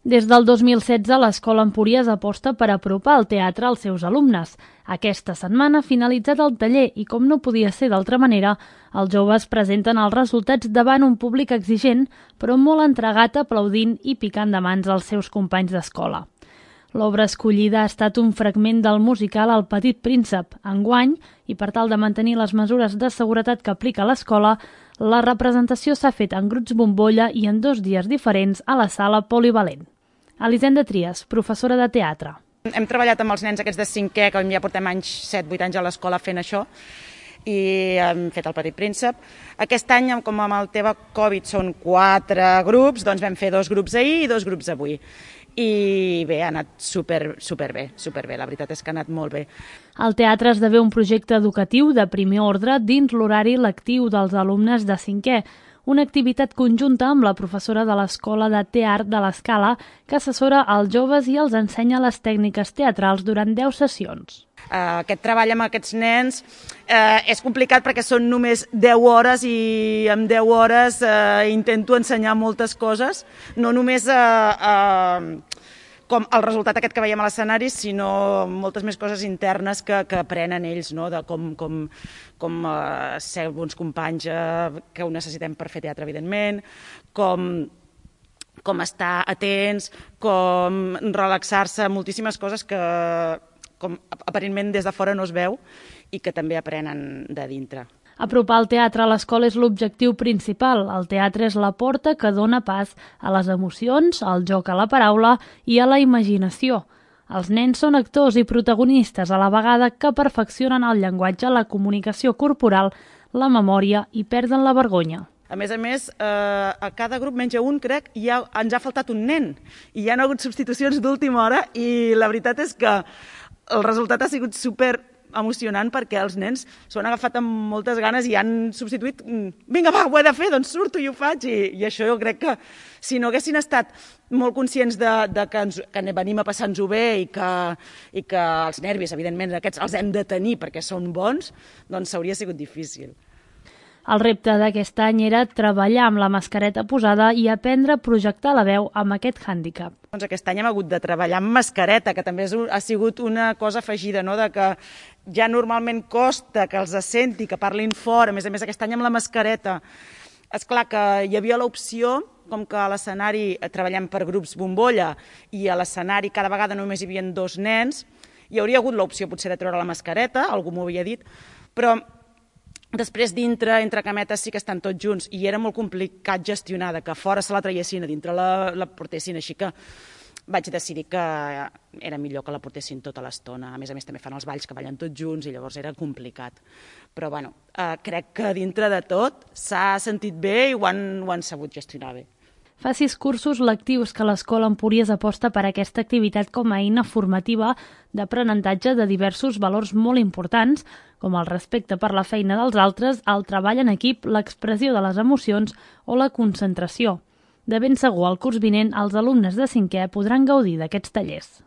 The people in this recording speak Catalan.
Des del 2016, l'Escola Empúries aposta per apropar el teatre als seus alumnes. Aquesta setmana ha finalitzat el taller i, com no podia ser d'altra manera, els joves presenten els resultats davant un públic exigent, però molt entregat, aplaudint i picant de mans als seus companys d'escola. L'obra escollida ha estat un fragment del musical El Petit Príncep. Enguany, i per tal de mantenir les mesures de seguretat que aplica l'escola, la representació s'ha fet en grups bombolla i en 2 dies diferents a la sala polivalent. Elisenda Trias, professora de teatre. Hem treballat amb els nens aquests de 5è, que ja portem 7-8 anys a l'escola fent això, i hem fet El Petit Príncep. Aquest any, com amb el tema Covid són 4 grups, doncs vam fer 2 grups ahir i 2 grups avui. I bé, ha anat superbé. La veritat és que ha anat molt bé. El teatre esdevé un projecte educatiu de primer ordre dins l'horari lectiu dels alumnes de 5è, una activitat conjunta amb la professora de l'Escola de Teatre de l'Escala, que assessora als joves i els ensenya les tècniques teatrals durant 10 sessions. Aquest treball amb aquests nens és complicat perquè són només 10 hores i en 10 hores intento ensenyar moltes coses, no només com el resultat aquest que veiem a l'escenari, sinó moltes més coses internes que aprenen ells, no? De com ser bons companys que ho necessitem per fer teatre, evidentment, com estar atents, com relaxar-se, moltíssimes coses que com aparentment des de fora no es veu i que també aprenen de dintre. Apropar el teatre a l'escola és l'objectiu principal. El teatre és la porta que dona pas a les emocions, al joc a la paraula i a la imaginació. Els nens són actors i protagonistes a la vegada que perfeccionen el llenguatge, la comunicació corporal, la memòria i perden la vergonya. A més, a cada grup, menys a un, crec, ens ha faltat un nen. I hi ha hagut substitucions d'última hora i la veritat és que el resultat ha sigut super emocionant perquè els nens s'ho han agafat amb moltes ganes i han substituït vinga, va, ho he de fer, doncs surto i ho faig. I això jo crec que si no haguessin estat molt conscients que venim a passar-nos-ho bé i que els nervis, evidentment, aquests els hem de tenir perquè són bons, doncs hauria sigut difícil. El repte d'aquest any era treballar amb la mascareta posada i aprendre a projectar la veu amb aquest hàndicap. Doncs aquest any hem hagut de treballar amb mascareta, que també ha sigut una cosa afegida, no? De que ja normalment costa que els senti, que parlin fort, a més aquest any amb la mascareta. És clar que hi havia l'opció, com que a l'escenari treballem per grups bombolla i a l'escenari cada vegada només hi havia 2 nens, hi hauria hagut l'opció potser de treure la mascareta, algú m'ho havia dit, però després dintre, entre cametes, sí que estan tots junts i era molt complicat gestionar, que fora se la traiessin, a dintre la portessin, així que vaig decidir que era millor que la portessin tota l'estona. A més també fan els balls que ballen tots junts i llavors era complicat. Però bueno, crec que dintre de tot s'ha sentit bé i ho han sabut gestionar bé. Fa 6 cursos lectius que l'Escola Empúries aposta per aquesta activitat com a eina formativa d'aprenentatge de diversos valors molt importants, com el respecte per la feina dels altres, el treball en equip, l'expressió de les emocions o la concentració. De ben segur, el curs vinent, els alumnes de 5è podran gaudir d'aquests tallers.